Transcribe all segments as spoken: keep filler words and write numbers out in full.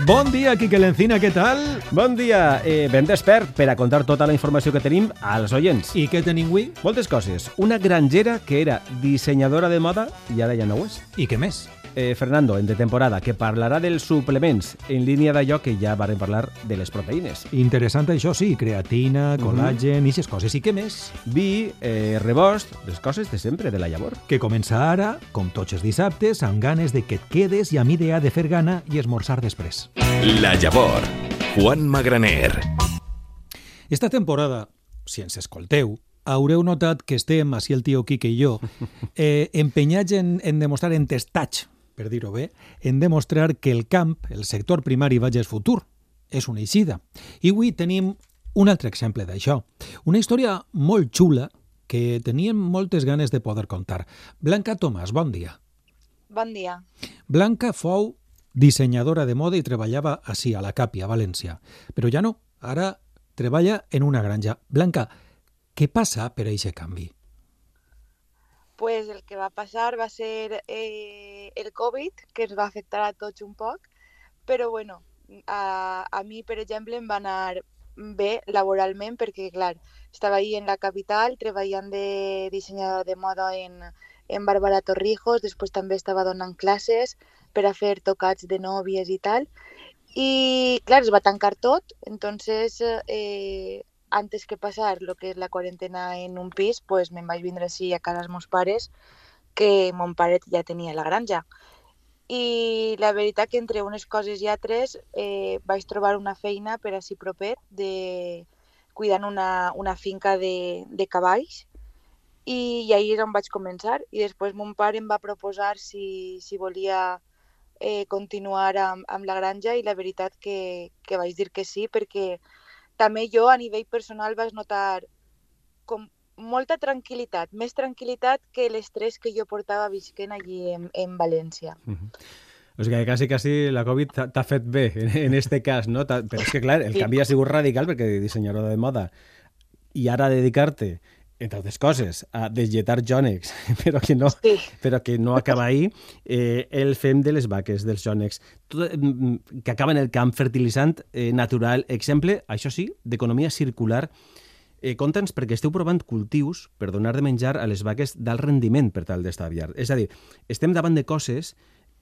Bon dia, Quique Lencina, què tal? Bon dia, eh, ben despert per a contar tota la informació que tenim als oients. I què tenim avui? Moltes coses. Una grangera que era dissenyadora de moda i ara ja no ho és. I què més? Eh, Fernando, en de temporada, que parlarà dels suplements en línia d'allò que ja varen parlar de les proteïnes. Interessant això, sí, creatina, col·làgen, mm-hmm. i aquestes coses. I què més? Vi, eh, rebost, les coses de sempre, de la llavor. Que comença ara, com tots els dissabtes, amb ganes de que et quedes i amb idea de fer gana i esmorzar després. La llavor, Juan Magraner. Esta temporada, si ens escolteu, haureu notat que estem, així el tio Quique i jo, eh, empenyats en, en demostrar entestats, per dir-ho bé, en demostrar que el camp, el sector primari, vaig és futur. És una eixida. I avui tenim un altre exemple d'això. Una història molt xula que teníem moltes ganes de poder contar. Blanca Tomàs, bon dia. Bon dia. Blanca fou dissenyadora de moda i treballava així, a la Capi, a València. Però ja no, ara treballa en una granja. Blanca, què passa per a aquest canvi? Pues el que va passar va ser eh, el Covid, que ens va afectar a tots un poc, però bueno, a, a mi, per exemple, em va anar bé laboralment perquè, clar, estava ahí en la capital treballant de dissenyador de moda en, en Bàrbara Torrijos, després també estava donant classes per a fer tocats de nòvies i tal, i clar, es va tancar tot, entonces eh, antes que passar lo que és la quarantena en un pis, pues me'n vaig vindre així a casa dels meus pares, que mon pare ja tenia la granja. I la veritat que entre unes coses i altres eh, vaig trobar una feina per així propet de cuidant una, una finca de, de cavalls i, i ahir és on vaig començar. I després mon pare em va proposar si, si volia eh, continuar amb, amb la granja i la veritat que, que vaig dir que sí, perquè també jo a nivell personal vaig notar com molta tranquil·litat, més tranquil·litat que l'estrès que jo portava visquent allí en, en València. Uh-huh. O sigui que quasi, quasi la Covid t'ha fet bé en, en este cas, no? Però és que, clar, el canvi ha sigut radical perquè dissenyador de moda i ara dedicar-te, entre altres coses, a deslletar jònecs, però que no, sí. però que no acaba ahir, eh, el fem de les vaques, dels jònecs, tot, que acaba en el camp fertilitzant eh, natural, exemple, això sí, d'economia circular. Eh, Conta'ns perquè esteu provant cultius per donar de menjar a les vaques d'alt rendiment per tal d'estalviar. És a dir, estem davant de coses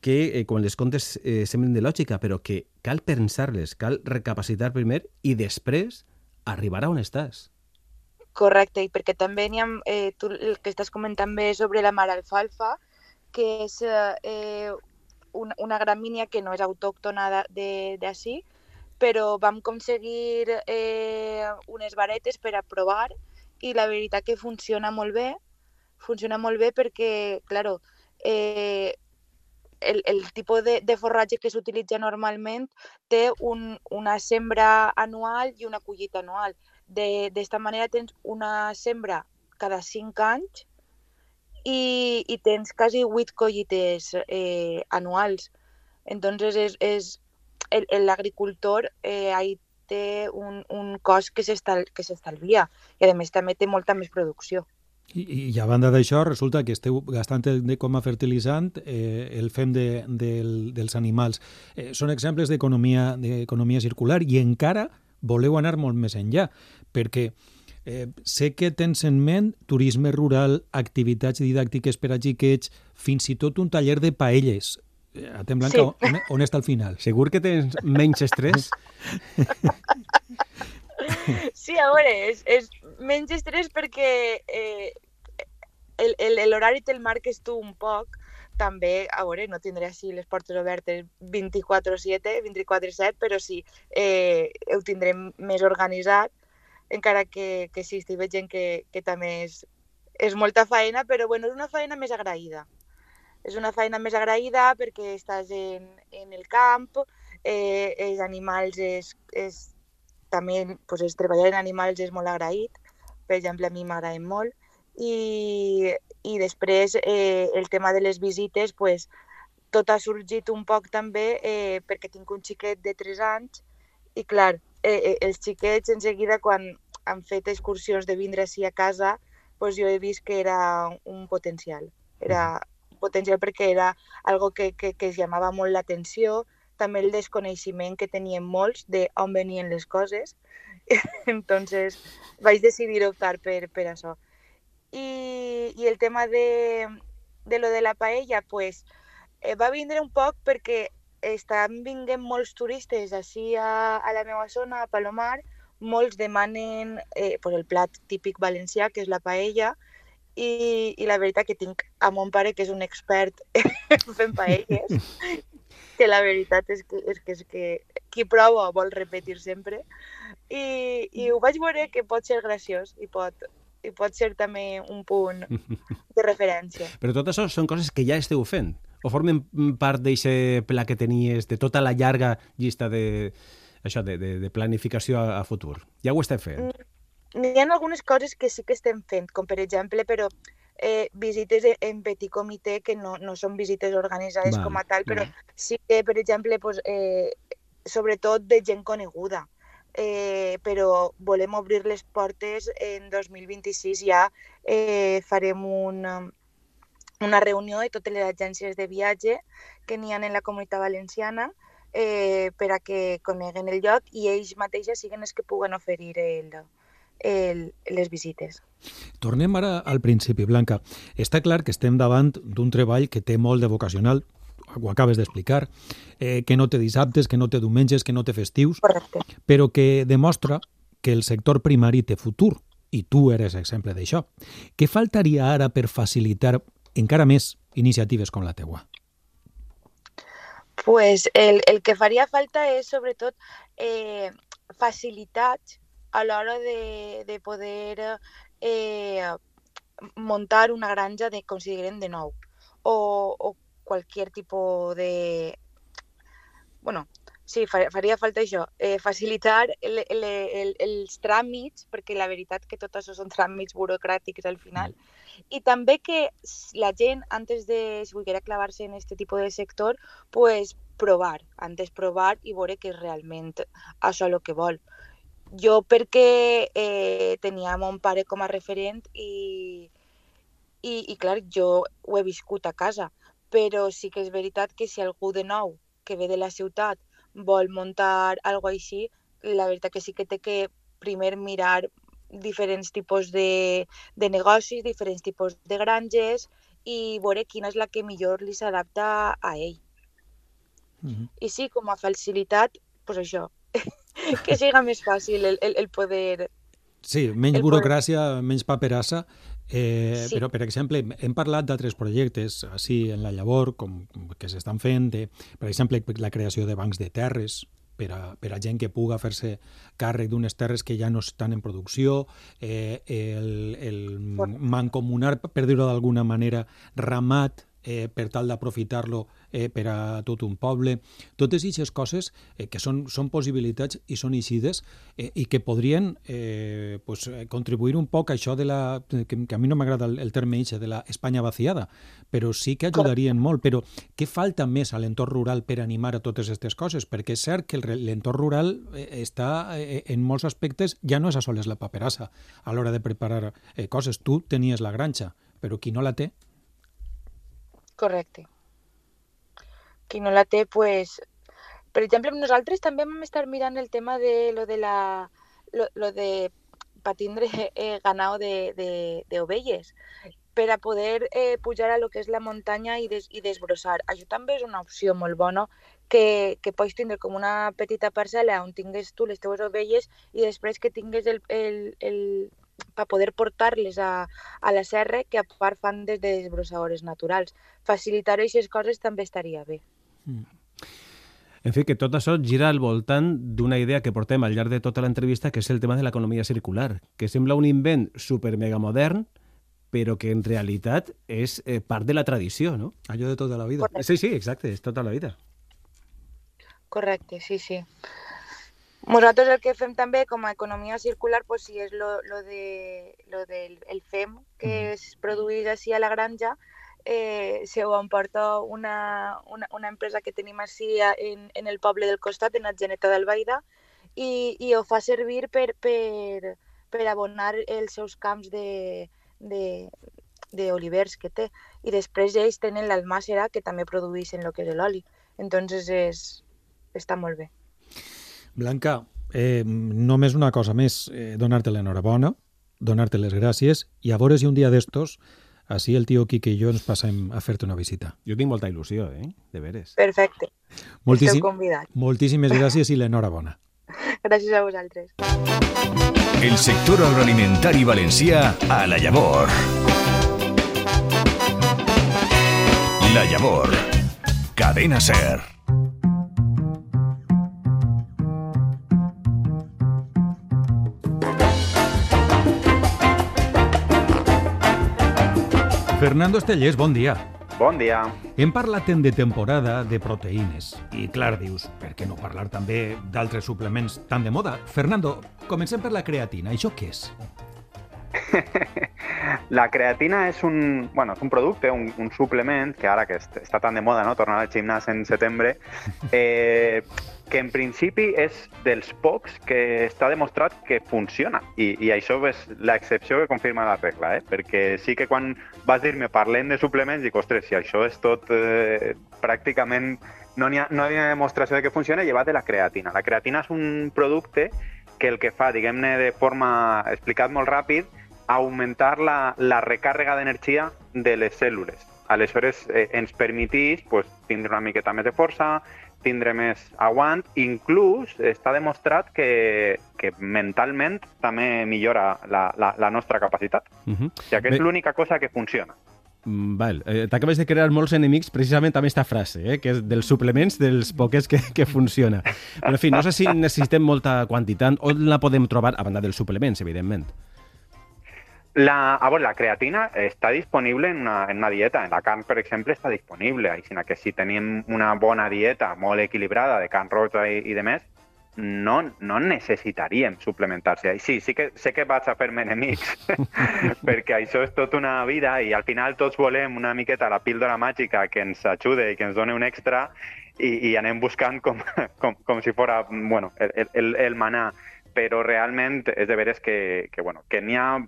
que, eh, quan les contes eh, semblen de lògica, però que cal pensar-les, cal recapacitar primer i després arribar a on estàs. Correcte, i perquè també n'hi ha, eh, tu el que estàs comentant bé sobre la maralfalfa, que és eh, una, una gramínia que no és autòctona d'ací, però vam aconseguir eh, unes varetes per a provar i la veritat que funciona molt bé, funciona molt bé perquè, claro, eh, el, el tipus de, de forratge que s'utilitza normalment té un, una sembra anual i una collita anual. D'esta manera tens una sembra cada cinc anys i, i tens quasi vuit collites eh, anuals. Entonces és, és l'agricultor eh, ahí té un, un cost que s'estalvia i a més també té molta més producció. I, i a banda d'això, resulta que esteu gastant el, com a fertilitzant eh, el fem de, del, dels animals. Eh, són exemples d'economia d'economia circular i encara voleu anar molt més enllà, perquè eh, sé que tens en ment turisme rural, activitats didàctiques per a xiquets, fins i tot un taller de paelles. Eh, Atem, Blanca, sí. on, on està al final? Segur que tens menys estrès? Sí, a veure, és, és menys estrès perquè eh, l'horari te'l marques tu un poc. També, a veure, no tindré així les portes obertes vint-i-quatre set, vint-i-quatre set, però sí, eh, ho tindré més organitzat, encara que, que sí, estic veient que, que també és, és molta feina, però bueno, és una feina més agraïda. És una feina més agraïda perquè estàs en, en el camp, eh, els animals, és, és, també pues, és, treballar en animals és molt agraït, per exemple, a mi m'agraden molt, i, i després eh, el tema de les visites, pues, tot ha sorgit un poc també eh, perquè tinc un xiquet de tres anys i clar, eh, eh, els xiquets en seguida quan han fet excursions de vindre així a casa, pues, jo he vist que era un potencial. Era un potencial perquè era algo que, que, que es llamava molt l'atenció, també el desconeixement que tenien molts de on venien les coses. Entonces vaig decidir optar per, per això. I, i el tema de, de lo de la paella, pues, eh, va vindre un poc perquè estan vinguent molts turistes així a, a la meva zona, a Palomar, molts demanen eh, pues el plat típic valencià, que és la paella, i, i la veritat que tinc a mon pare, que és un expert fent paelles, que la veritat és que, és que, és que qui prova vol repetir sempre, i, i ho vaig veure que pot ser graciós i pot, i pot ser també un punt de referència. Però tot això són coses que ja esteu fent? O formen part d'aquest pla que tenies, de tota la llarga llista de, això, de, de, de planificació a, a futur? Ja ho esteu fent? N'hi ha algunes coses que sí que estem fent, com per exemple, però eh, visites en petit comitè, que no, no són visites organitzades Val, com a tal, però val. sí que, per exemple, pues, eh, sobretot de gent coneguda. Eh, però volem obrir les portes en dos mil vint-i-sis, ja eh, farem una, una reunió de totes les agències de viatge que n'hi ha en la Comunitat Valenciana eh, per a que coneguen el lloc i ells mateixos siguin els que puguen oferir el, el, les visites. Tornem ara al principi, Blanca. Està clar que estem davant d'un treball que té molt de vocacional, ho acabes d'explicar, eh, que no té dissabtes, que no té diumenges, que no té festius, Correcte. però que demostra que el sector primari té futur, i tu eres exemple d'això. Què faltaria ara per facilitar encara més iniciatives com la teua? Pues el, el que faria falta és, sobretot, eh, facilitats a l'hora de, de poder eh, muntar una granja de, com si diguem, de nou, o, o qualsevol tipus de... Bueno, sí, faria falta això, eh, facilitar el, el, el, els tràmits, perquè la veritat que tot això són tràmits burocràtics al final, i també que la gent, antes de, si volguera clavar-se en aquest tipus de sector, pues provar, antes provar i veure que és realment això el que vol. Jo perquè eh, tenia mon pare com a referent i, i, i clar, jo ho he viscut a casa, però sí que és veritat que si algú de nou que ve de la ciutat vol muntar alguna cosa així, la veritat que sí que té que primer mirar diferents tipus de, de negocis, diferents tipus de granges i veure quina és la que millor li s'adapta a ell. Uh-huh. I sí, com a facilitat, doncs això, que siga més fàcil el, el, el poder... Sí, menys el burocràcia, poder... menys paperassa, eh, sí. Però, per exemple, hem parlat d'altres projectes, així en la llavor, com, que s'estan fent, de, per exemple, la creació de bancs de terres, per a, per a gent que puga fer-se càrrec d'unes terres que ja no estan en producció, eh, el, el mancomunar, per dir-ho d'alguna manera, ramat, eh, per tal d'aprofitar-lo eh, per a tot un poble. Totes aquestes coses eh, que són, són possibilitats i són eixides eh, i que podrien eh, pues, contribuir un poc a això de la... que, que a mi no m'agrada el, el terme eixe, de la Espanya vaciada, però sí que ajudarien molt. Però què falta més a l'entorn rural per animar a totes aquestes coses? Perquè és cert que l'entorn rural eh, està eh, en molts aspectes, ja no és a soles la paperassa a l'hora de preparar eh, coses. Tu tenies la granja, però qui no la té? Correcte. Qui no la té, pues... Per exemple, nosaltres també vam estar mirant el tema de lo de la... lo, lo de pa tindre eh, ganao de, de, de ovelles, per a poder eh, pujar a lo que és la muntanya i, des, i desbrossar. Això també és una opció molt bona, que, que pots tindre com una petita parcel·la on tingues tu les teves ovelles i després que tingues el... el, el per poder portar-les a, a la serra, que a part fan des de desbrossadores naturals. Facilitar aquestes coses també estaria bé. Mm. En fi, que tot això gira al voltant d'una idea que portem al llarg de tota l'entrevista, que és el tema de l'economia circular, que sembla un invent super mega modern, però que en realitat és eh, part de la tradició, no? Allò de tota la vida. Correcte. Sí, sí, exacte, és tota la vida. Correcte, sí, sí. Nosaltres el que fem també com a economia circular, pues, sí, és lo, lo, de, lo del el fem que mm. es produeix així a la granja, eh, se ho emporta una, una, una empresa que tenim així en, en el poble del costat, en Atzeneta d'Albaida, i, i ho fa servir per, per, per abonar els seus camps de, de, d'olivers que té. I després ells tenen l'almàssera, que també produeixen el que és l'oli. Entonces és, està molt bé. Blanca, eh, només una cosa més, eh, donar-te l'enhorabona, donar-te les gràcies, i a veure si un dia d'estos, així el tio Quique i jo ens passem a fer-te una visita. Jo tinc molta il·lusió, eh? De veres. Perfecte. Moltíssim, Esteu convidats. moltíssimes gràcies i l'enhorabona. Gràcies a vosaltres. El sector agroalimentari valencià a La Llavor. La Llavor. Cadena SER. Fernando Estellés, bon dia. Bon dia. Hem parlat en de temporada de proteïnes. I clar, dius, per què no parlar també d'altres suplements tan de moda? Fernando, comencem per la creatina. Això què és? La creatina és un, bueno, és un producte, un, un suplement, que ara que està tan de moda, no? Tornar al gimnàs en setembre, eh, que en principi és dels pocs que està demostrat que funciona. I, i això és l'excepció que confirma la regla, eh? Perquè sí que quan vas dir-me parlem de suplements, dic, ostres, si això és tot eh, pràcticament... No hi ha, no hi ha demostració de que funciona, llevat de la creatina. La creatina és un producte que el que fa, diguem-ne de forma, explicat molt ràpid, augmentar la, la recàrrega d'energia de les cèl·lules. Aleshores, eh, ens permetís pues, tindre una miqueta més de força, tindre més aguant, inclús està demostrat que, que mentalment també millora la, la, la nostra capacitat. Uh-huh. O sigui, que és l'única cosa que funciona. Val. Eh, T'acabes de crear molts enemics precisament amb aquesta frase, eh, que és dels suplements dels poques que, que funciona. Però, en fi, no sé si necessitem molta quantitat. On la podem trobar, a banda dels suplements, evidentment? La, a veure, la creatina està disponible en una, en una dieta. En la carn, per exemple, està disponible. Així que si tenim una bona dieta molt equilibrada de carn roja i, i de més, no, no necessitaríem suplementar-se. Sí, sí que sé que vaig a fer-me enemics, perquè això és tota una vida i al final tots volem una miqueta la píldora màgica que ens ajude i que ens doni un extra i, i anem buscant com, com, com si fora bueno, el, el, el manà. Però realment és de veres que, que, bueno, que n'hi ha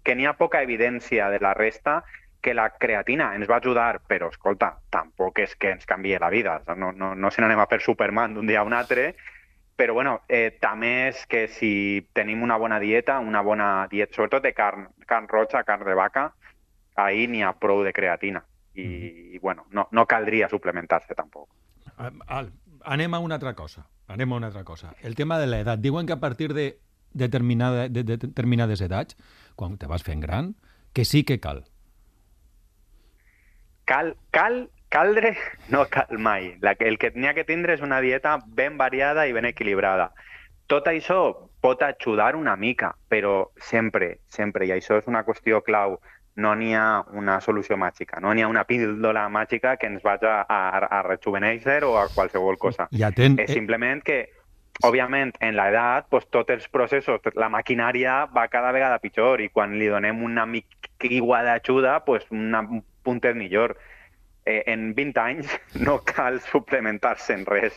que n'hi ha poca evidència de la resta, que la creatina ens va ajudar, però, escolta, tampoc és que ens canvie la vida. No, no, no se n'anem a fer Superman d'un dia a un altre, però, bueno, eh, també és que si tenim una bona dieta, una bona dieta, sobretot de carn, carn roja, carn de vaca, ahir n'hi ha prou de creatina. I, i bueno, no, no caldria suplementar-se tampoc. Al, anem a una altra cosa. Anem a una altra cosa. El tema de l'edat. Diuen que a partir de determinada, de, de determinades edats, quan te vas fent gran, que sí que cal. Cal, cal, caldre, no cal mai. La, el que n'hi ha que tindre és una dieta ben variada i ben equilibrada. Tot això pot ajudar una mica, però sempre, sempre, i això és una qüestió clau, no n'hi ha una solució màgica, no n'hi ha una píldora màgica que ens vagi a, a, a rejuvenèixer o a qualsevol cosa. Ja ten... És simplement que òbviament, en l'edat, pues, tots els processos, la maquinària va cada vegada pitjor i quan li donem una mica d'ajuda, pues, una, un puntet millor. Eh, en vint anys no cal suplementar-se en res.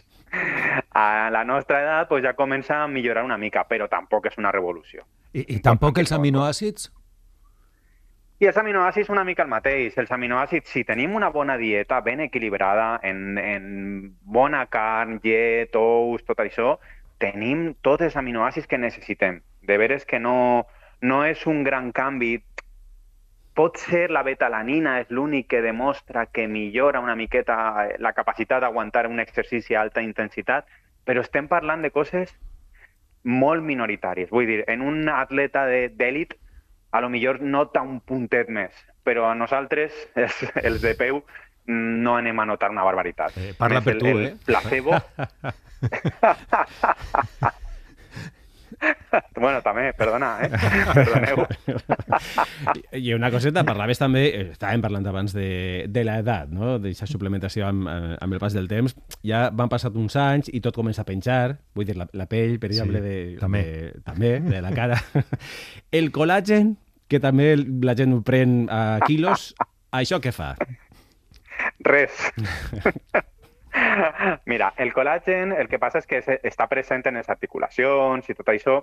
A la nostra edat pues, ja comença a millorar una mica, però tampoc és una revolució. I, i tampoc els aminoàcids? I els aminoàcids una mica el mateix. Els aminoàcids, si tenim una bona dieta ben equilibrada, en, en bona carn, llet, ous, tot això, tenim tots els aminoàcids que necessitem. De veres que no, no és un gran canvi. Pot ser la betalanina, és l'únic que demostra que millora una miqueta la capacitat d'aguantar un exercici a alta intensitat, però estem parlant de coses molt minoritàries. Vull dir, en un atleta d'èlit, a lo millor nota un puntet més, però a nosaltres, els, els de peu, no anem a notar una barbaritat. Eh, parla per el, tu, el eh? Placebo... Bueno, també, perdona, eh? Perdoneu. I una coseta, parlaves també, estàvem parlant abans de, de l'edat, no? D'aquesta suplementació amb, amb el pas del temps. Ja van passat uns anys i tot comença a penjar, vull dir, la, la pell, per exemple, sí, de, també. De, també, de la cara. El col·làgen, que també la gent ho pren a quilos, això què fa? Res. Mira, el col·làgen el que passa és que està present en les articulacions i tot això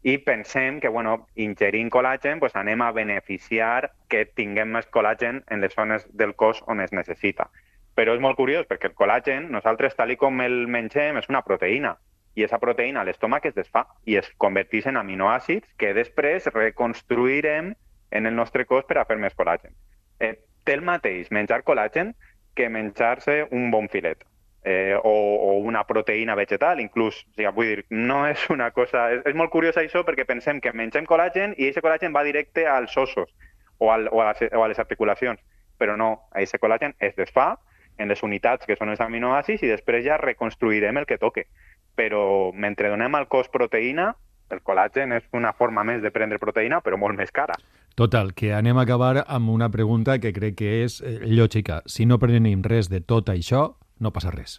i pensem que, bueno, ingerint col·làgen pues, anem a beneficiar que tinguem més col·làgen en les zones del cos on es necessita. Però és molt curiós perquè el col·làgen, nosaltres, tal i com el mengem, és una proteïna. I aquesta proteïna a l'estómac es desfà i es converteix en aminoàcids que després reconstruirem en el nostre cos per a fer més col·làgen. Eh, té el mateix menjar col·làgen que menjar-se un bon filet. Eh, o, o una proteïna vegetal, inclús. O sigui, vull dir, no és una cosa... És, és molt curiós això perquè pensem que mengem col·làgen i aquest col·làgen va directe als ossos o, al, o, a, les, o a les articulacions. Però no, aquest col·làgen es desfà en les unitats que són els aminoàcids i després ja reconstruirem el que toque. Però mentre donem al cos proteïna, el col·làgen és una forma més de prendre proteïna, però molt més cara. Total, que anem a acabar amb una pregunta que crec que és eh, lògica. Si no prenem res de tot això, no passa res.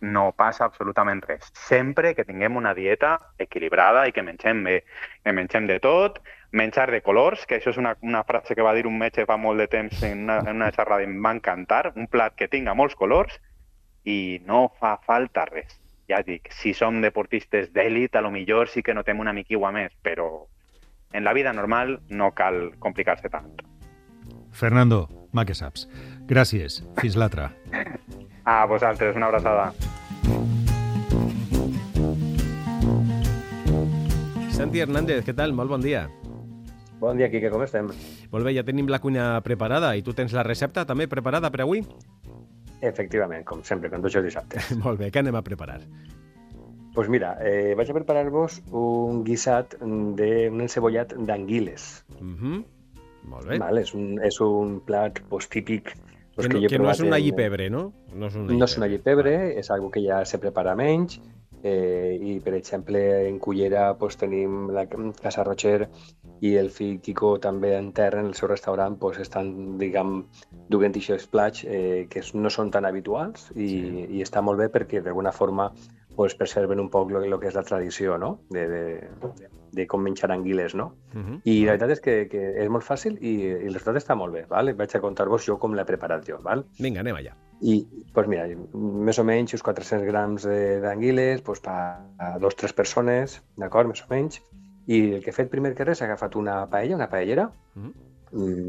No passa absolutament res. Sempre que tinguem una dieta equilibrada i que mengem bé, que mengem de tot, menjar de colors, que això és una, una frase que va dir un metge fa molt de temps en una, en una xerrada i em va encantar, un plat que tinga molts colors i no fa falta res. Ja dic, si som deportistes d'èlit, a lo millor sí que notem una miquigua més, però en la vida normal no cal complicar-se tant. Fernando, mà que saps. Gràcies. Fins l'altra. A vosaltres, una abraçada. Santi Hernández, què tal? Molt bon dia. Bon dia, Quique, com estem? Molt bé, ja tenim la cuina preparada i tu tens la recepta també preparada per avui? Efectivament, com sempre, com tots els dissabtes. Molt bé, què anem a preparar? Doncs pues mira, eh, vaig a preparar-vos un guisat d'un encebollat d'anguiles. Uh -huh. Molt bé. Vale, és, un, és un plat pues, típic. Pues, que no, que, que no és un allipebre, no? No és un allipebre, no és un allipebre, és algo que ja se prepara menys. Eh, I, per exemple, en Cullera pues, tenim la Casa Rocher i el fill Quico també en terra, en el seu restaurant, pues, estan, diguem, duent aquests plats eh, que no són tan habituals i, sí. i està molt bé perquè, d'alguna forma, pues, preserven un poc el que és la tradició, no? de, de, de, de com menjar anguiles, no? Uh-huh. I la veritat és que, que és molt fàcil i, i el resultat està molt bé, ¿vale? Vaig a contar-vos jo com l'he preparat jo, ¿vale? Vinga, anem allà. I, doncs mira, més o menys uns quatre-cents grams d'anguiles doncs per a dos o tres persones, d'acord, més o menys. I el que he fet primer que res, he agafat una paella, una paellera, uh-huh.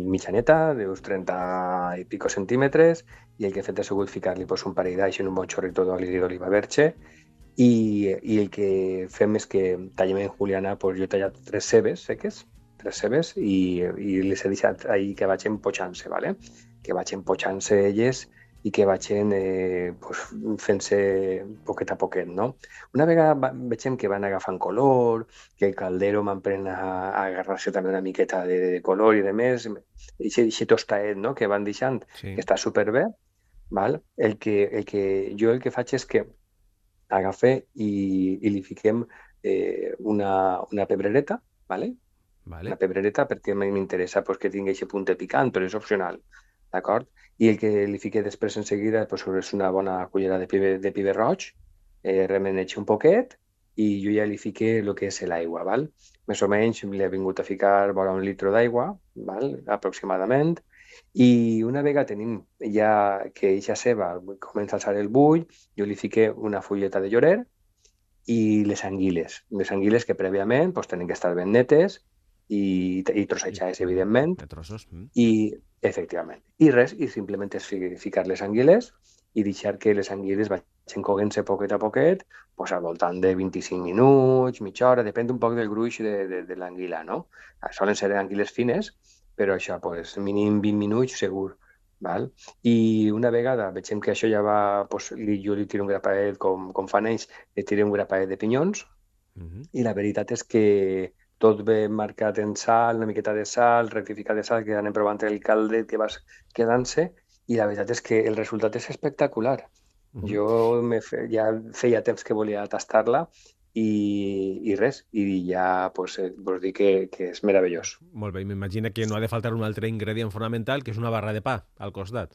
mitjaneta, d'uns trenta i pico centímetres, i el que he fet ha sigut ficar-li doncs, un parell d'aix en un bon xorrito d'oli d'oliva verge, i, i el que fem és que tallem en juliana, doncs jo he tallat tres cebes seques, tres cebes, i, i les he deixat ahí que vaig empochant-se, ¿vale? Que vaig empochant-se elles i que vagin eh, pues, fent-se poquet a poquet, no? Una vegada veiem que van agafant color, que el caldero m'emprèn a, a agarrar-se també una miqueta de, de color i de més, i aquest tostaet, no?, que van deixant, sí. que està superbé, val? El que, el que, jo el que faig és que agafe i, i li fiquem eh, una, una pebrereta, ¿vale? Vale. Una pebrereta perquè m'interessa pues, que tingui aquest punt picant, però és opcional, d'acord? I el que li fiqué després en seguida pues, és una bona cullera de pibe, de pibe roig, eh, remeneig un poquet i jo ja li fiqué el que és l'aigua, val? Més o menys li he vingut a ficar vora un litre d'aigua, val? Aproximadament, i una vegada tenim ja que eixa ceba comença a alçar el bull, jo li fiqué una fulleta de llorer i les anguiles, les anguiles que prèviament pues, tenen que estar ben netes i, i trossejades, evidentment. De trossos. Mm. I, efectivament. I res, i simplement és ficar les anguiles i deixar que les anguiles vagin coguent-se poquet a poquet, pues, al voltant de vint-i-cinc minuts, mitja hora, depèn un poc del gruix de, de, de l'anguila, no? Solen ser anguiles fines, però això, pues, mínim vint minuts segur. Val? I una vegada veiem que això ja va, pues, jo li tiro un grapaet, com, com fan ells, li tiro un grapaet de pinyons, uh-huh. i la veritat és que tot ve marcat en sal, una miqueta de sal, rectificat de sal, que anem provant el caldet que vas quedant-se, i la veritat és que el resultat és espectacular. Uh-huh. Jo me fe, ja feia temps que volia tastar-la i, i res, i ja pues, vos dic que, que és meravellós. Molt bé, m'imagino que no ha de faltar un altre ingredient fonamental, que és una barra de pa al costat.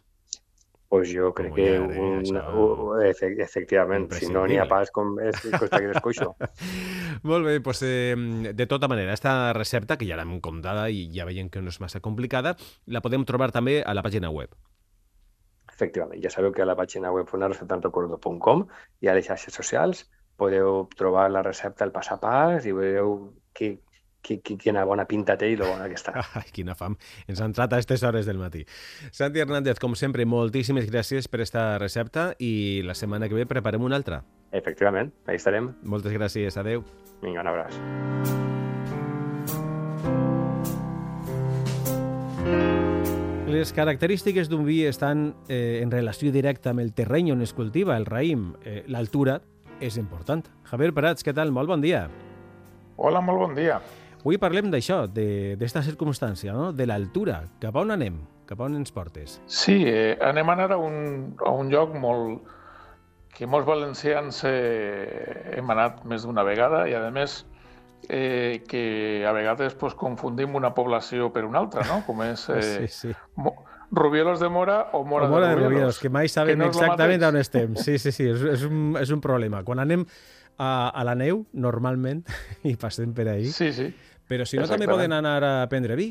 Pues jo crec que un, un, efectivament, si no n'hi ha pas, com és, costa que l'escoixo. Molt bé, doncs eh, de tota manera, aquesta recepta, que ja l'hem comptada i ja veiem que no és massa complicada, la podem trobar també a la pàgina web. Efectivament, ja sabeu que a la pàgina web una recepta en recordo punt com i a les xarxes socials podeu trobar la recepta, el pas a pas, i veureu que quina bona pinta té i lo bona que està. Ai, quina fam. Ens ha entrat a aquestes hores del matí. Santi Hernández, com sempre, moltíssimes gràcies per esta recepta i la setmana que ve preparem una altra. Efectivament, ahí estarem. Moltes gràcies, adeu. Vinga, un abraç. Les característiques d'un vi estan eh, en relació directa amb el terreny on es cultiva, el raïm. Eh, L'altura és important. Javier Prats, què tal? Molt bon dia. Hola, molt bon dia. Avui parlem d'això, d'esta circumstància, no? De l'altura. Cap a on anem? Cap a on ens portes? Sí, eh, anem a anar a un, a un lloc molt, que molts valencians eh, hem anat més d'una vegada i, a més, eh, que a vegades pues, confundim una població per una altra, no? Com és eh, sí, sí. Mo, Rubielos de Mora o Mora, o Mora de, de Rubielos, Rubielos, que mai sabem que no exactament on estem. Sí, sí, sí, és, és, un, és un problema. Quan anem a, a la neu, normalment, i passem per ahí, sí, sí. Però si no, també poden anar a prendre vi.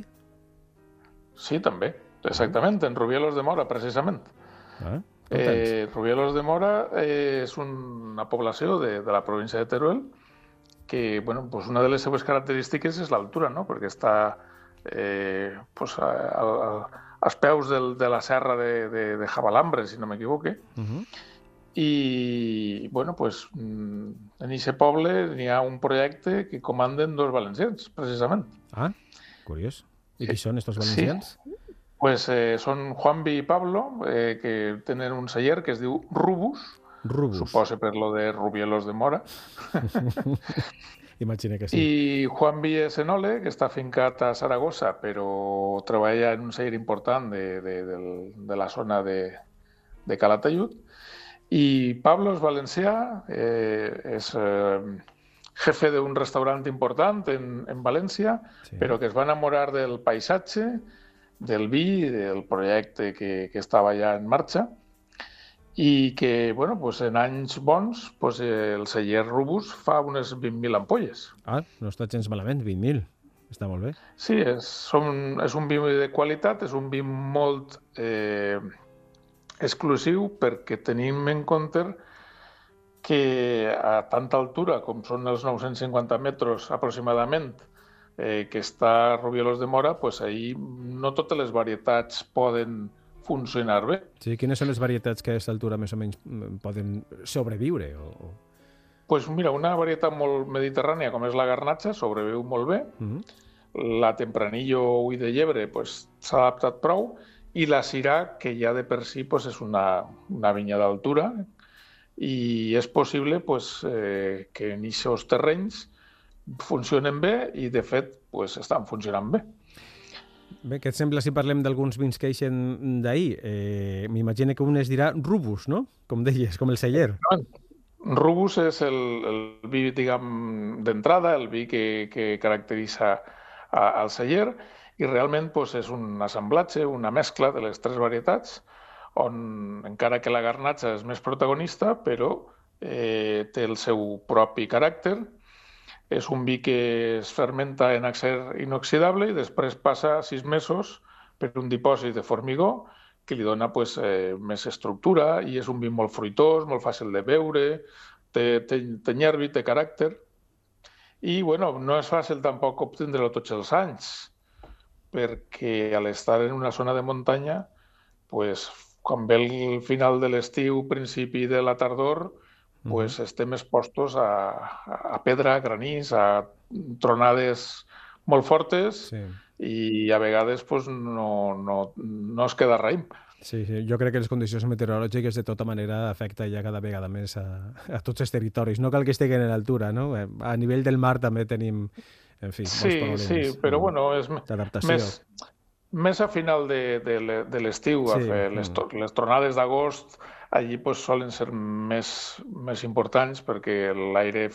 Sí, també, exactament, en Rubielos de Mora, precisament. Ah, eh, Rubielos de Mora eh, és una població de, de la província de Teruel que, bueno, pues una de les seves característiques és l'altura, no? Perquè està eh, pues, a, a, als peus del, de la serra de, de, de Javalambre, si no m'equivoque. Uh-huh. I, bueno, pues, en aquest poble n'hi ha un projecte que comanden dos valencians, precisament. Ah, curiós. I qui són estos valencians? Sí. Pues eh, són Juanvi i Pablo, eh, que tenen un celler que es diu Rubus. Rubus. Suposa per lo de Rubielos de Mora. Imagina que sí. I Juanvi és enòleg, que està fincat a Saragossa, però treballa en un celler important de, de, de, de la zona de, de Calatayud. I Pablo és valencià, eh, és eh, jefe d'un restaurant important en, en València, sí. Però que es va enamorar del paisatge, del vi, del projecte que, que estava ja en marxa, i que, bueno, pues en anys bons, pues el celler Rubus fa unes vint mil ampolles. Ah, no està gens malament, vint mil. Està molt bé. Sí, és, som, és un vi de qualitat, és un vi molt eh, exclusiu perquè tenim en compte que a tanta altura com són els nou-cents cinquanta metres aproximadament eh, que està Rubielos de Mora, pues ahí no totes les varietats poden funcionar bé. Sí, quines són les varietats que a aquesta altura més o menys poden sobreviure? O, o... Pues mira, una varietat molt mediterrània com és la garnatxa sobreviu molt bé. Mm-hmm. La tempranillo ull de llebre pues, s'ha adaptat prou. I la Syrah, que ja de per si pues, és una, una vinya d'altura i és possible pues, eh, que en aquests terrenys funcionen bé i, de fet, pues, estan funcionant bé. Bé, què et sembla si parlem d'alguns vins que eixen d'ahir? Eh, M'imagino que un es dirà Rubus, no? Com deies, com el celler. Rubus és el, el vi, diguem, d'entrada, el vi que, que caracteritza a, al celler, i realment doncs, és un assemblatge, una mescla de les tres varietats, on encara que la garnatxa és més protagonista, però eh, té el seu propi caràcter. És un vi que es fermenta en acer inoxidable i després passa sis mesos per un dipòsit de formigó que li dona pues, eh, més estructura i és un vi molt fruitós, molt fàcil de beure, té, té, té nervi, té caràcter. I bueno, no és fàcil tampoc obtindre-lo tots els anys, perquè a l'estar en una zona de muntanya, pues, quan ve el final de l'estiu, principi de la tardor, pues, mm-hmm. estem expostos a, a pedra, a granís, a tronades molt fortes sí. I a vegades pues, no, no, no es queda raïm. Sí, sí, jo crec que les condicions meteorològiques de tota manera afecten ja cada vegada més a, a tots els territoris. No cal que estiguen a l'altura, no? A nivell del mar també tenim... En fi, sí, sí, però bueno, és més, més a final de, de, de l'estiu, sí, les, les tronades d'agost, allí pues, solen ser més, més importants perquè l'aire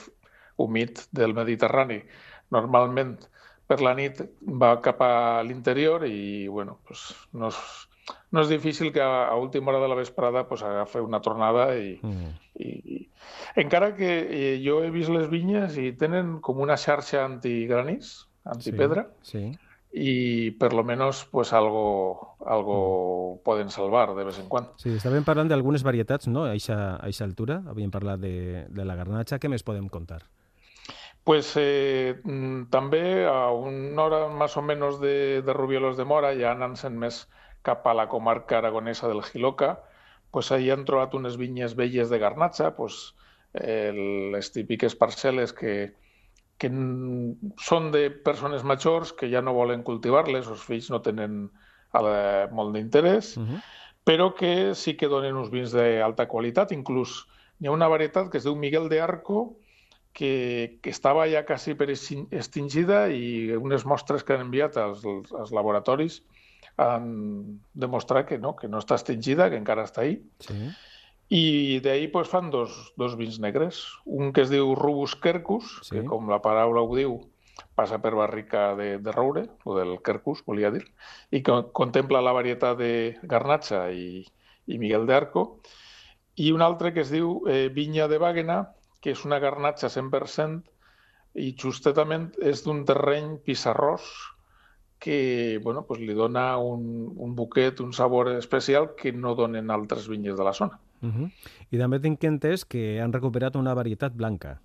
humit del Mediterrani normalment per la nit va cap a l'interior i bueno, pues, no, és, no és difícil que a, a última hora de la vesprada pues, agafi una tronada i, mm. i, i encara que eh, jo he vist les vinyes i tenen com una xarxa antigranís, antipedra, sí, sí. I per lo menos pues, algo, algo mm. poden salvar de vez en quan. Sí, estàvem parlant d'algunes varietats, no? A aquesta altura, havíem parlat de, de la garnatxa. Què més podem contar? Pues eh, també a una hora més o menys de, de Rubielos de Mora, ja anant-se'n més cap a la comarca aragonesa del Jiloca, pues ahí han trobat unes vinyes velles de garnatxa, pues, eh, les típiques parcel·les que, que són de persones majors que ja no volen cultivar-les, els fills no tenen eh, molt d'interès, uh-huh. però que sí que donen uns vins d'alta qualitat. Inclús hi ha una varietat que es diu Miguel de Arco, que, que estava ja quasi per extingida i unes mostres que han enviat als, als laboratoris han demostrat que no, que no està extingida, que encara està ahí. Sí. I d'ahir pues, fan dos, dos vins negres. Un que es diu Rubus Quercus, sí. que com la paraula ho diu, passa per barrica de, de roure, o del Quercus, volia dir, i que contempla la varietat de garnatxa i, i Miguel de Arco. I un altre que es diu eh, Vinya de Bàguena, que és una garnatxa cent per cent i justament és d'un terreny pissarrós que bueno, pues li dona un, un buquet, un sabor especial que no donen altres vinyes de la zona. Uh-huh. I també tinc entès que han recuperat una varietat blanca.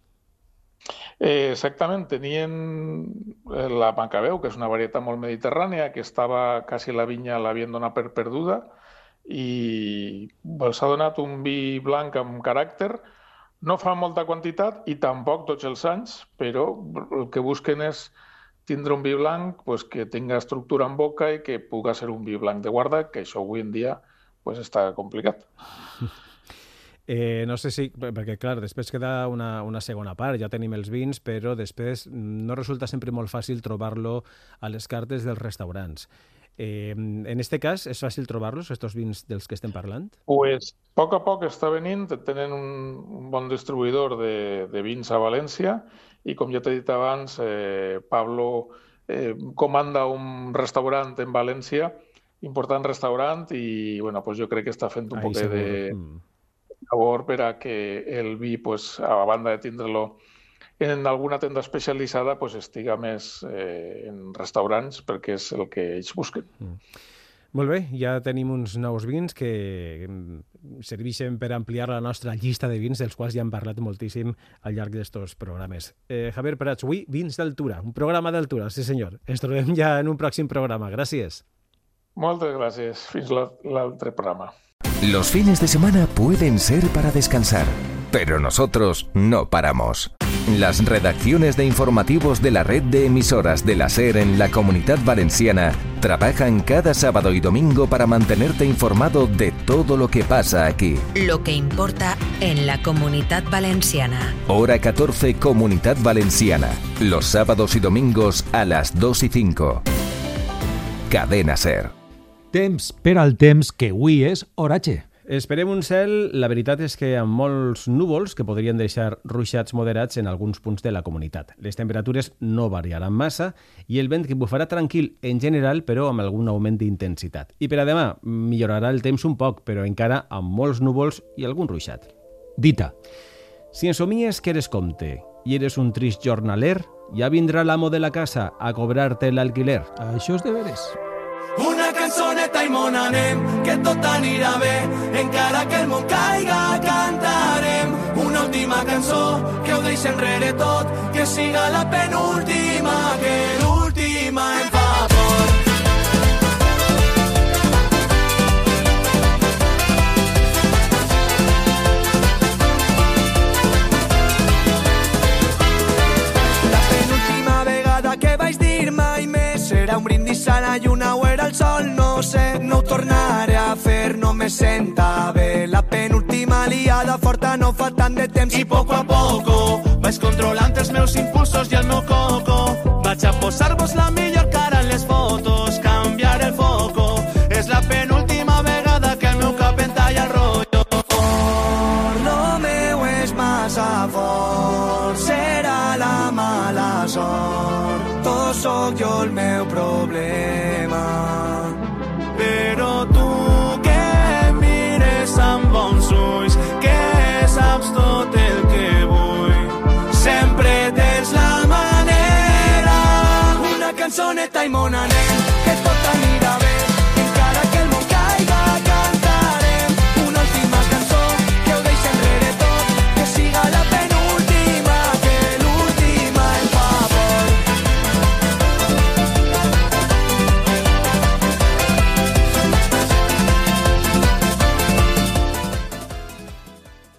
Eh, exactament, tenien la Macabeu, que és una varietat molt mediterrània, que estava quasi la vinya l'havien donat per perduda i els ha donat un vi blanc amb caràcter. No fa molta quantitat i tampoc tots els anys, però el que busquen és tindre un vi blanc pues, que tinga estructura en boca i que pugui ser un vi blanc de guarda, que això avui en dia pues, està complicat. Eh, no sé si... Perquè, clar, després queda una, una segona part, ja tenim els vins, però després no resulta sempre molt fàcil trobar-lo a les cartes dels restaurants. Eh, en este cas, és fàcil trobar-los, estos vins dels que estem parlant? Pues, a poc a poc està venint, tenen un, un bon distribuïdor de, de vins a València i, com ja t'he dit abans, eh, Pablo eh, comanda un restaurant en València, important restaurant, i bueno, pues jo crec que està fent un poc de favor per a que el vi, pues, a banda de tindre-lo en alguna tenda especialitzada, pues, estiga més eh, en restaurants, perquè és el que ells busquen. Mm. Molt bé, ja tenim uns nous vins que serveixen per ampliar la nostra llista de vins, dels quals ja hem parlat moltíssim al llarg d'estos programes. Eh, Javier Prats, avui Vins d'Altura, un programa d'altura, sí senyor. Ens trobem ja en un pròxim programa. Gràcies. Moltes gràcies. Fins l'altre programa. Los fines de semana pueden ser para descansar, pero nosotros no paramos. Las redacciones de informativos de la red de emisoras de la SER en la Comunidad Valenciana trabajan cada sábado y domingo para mantenerte informado de todo lo que pasa aquí. Lo que importa en la Comunidad Valenciana. Hora catorce, Comunidad Valenciana. Los sábados y domingos a las dos y cinco. Cadena SER. Temps per al temps, que avui és oratge. Esperem un cel, la veritat és que amb molts núvols que podrien deixar ruixats moderats en alguns punts de la comunitat. Les temperatures no variaran massa i el vent que bufarà tranquil en general, però amb algun augment d'intensitat. I per a demà millorarà el temps un poc, però encara amb molts núvols i algun ruixat. Dita. Si ensomies que eres comte i eres un trist jornaler, ja vindrà l'amo de la casa a cobrar-te l'alquiler. Això és de veres. Una cançoneta i mon anem, que tot anirà bé, encara que el món caiga cantarem. Una última cançó que ho deixi enrere tot, que siga la penúltima, que l'última em fa por. La penúltima vegada que vaig dir mai més serà un brindis a la lluna o era el sol, no sé, no ho tornaré a fer, no me senta bé. La penúltima liada forta no fa tant de temps i poco a poco vaig controlant els meus impulsos i el meu coco. Vaig a posar-vos la millor cara en les fotos, canviar el foco. És la penúltima vegada que el meu cap entalla el rotllo. Fort, lo meu és massa fort, serà la mala sort. Tot sóc jo el meu problema. Però tu que em mires amb bons ulls, que saps tot el que vull, sempre tens la manera. Una cançoneta i mon anem.